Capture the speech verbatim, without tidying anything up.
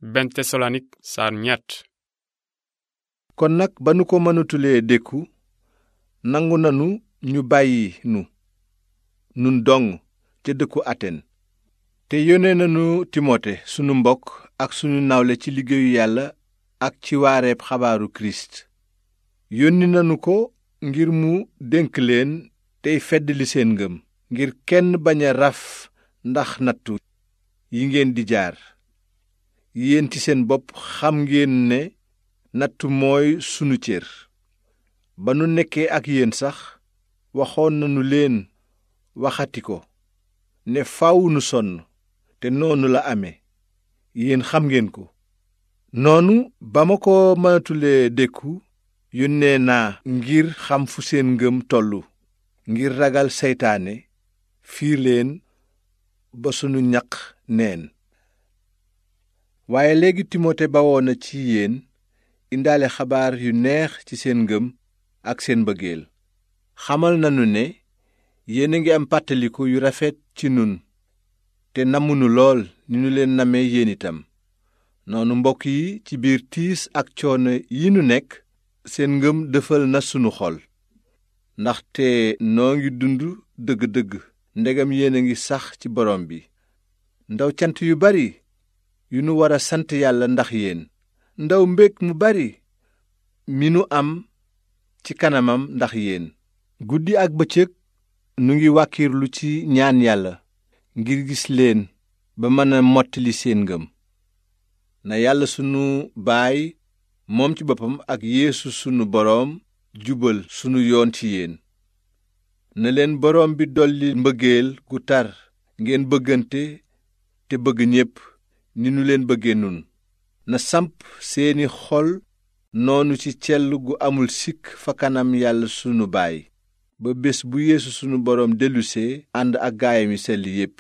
benn Tesalonik saar ñett. kon nag ba nu ko mënatulee dékku nangu nanu ñu bàyyi nu nun dong ca dëkku Aten te yónnee nanu Timote sunu mbokk ak sunu nawle ci liggéeyu Yàlla ak ci waareeb xabaaru Kirist yónni nanu ko ngir mu dénk leen tey feddali seen ngëm ngir kenn bañ a raf ndax nattu yi ngeen di jaar yéen ci seen bopp xam ngeen ne nattu mooy sunu cër ba nu nekkee ak yéen sax waxoon nanu leen waxati ko ne faw nu sonn te noonu la amee yéen xam ngeen ko noonu ba ma ko mënatulee dékku yónnee naa ngir xam fu seen ngëm tollu ngir ragal seytaane fiir leen ba sunu ñaq neen waaye léegi Timote bawoo na ci yéen indaale xabaar yu neex ci seen ngëm ak seen mbëggeel xamal nanu ne yéen a ngi am pàttaliku yu rafet ci nun te namunu lool ni nu leen namee yéen itam noonu mbokk yi ci biir tiis ak coono yi nu nekk seen ngëm dëfal na sunu xol ndaxte noo ngi dund dëgg-dëgg ndegam yéen a ngi sax ci borom bi ndaw cant yu bari yu nu war a sant Yàlla ndax yéen ndaw mbég mu bari mi nu am ci kanamam ndax yéen guddi ak bëccëg nu ngi wàkkirlu ci ñaan Yàlla ngir gis leen ba mën a mottali seen ngëm na Yàlla sunu Baay moom ci boppam ak Yeesu sunu boroom jubal sunu yoon ci yéen na leen boroom bi dolli mbëggeel gu tar ngeen bëggante te bëgg ñépp ni nu leen bëggee nun na samp seeni xol noonu ci cell gu amul sikk fa kanam Yàlla sunu Baay ba bés bu Yeesu sunu boroom dellusee ànd ak gaayam yi sell yépp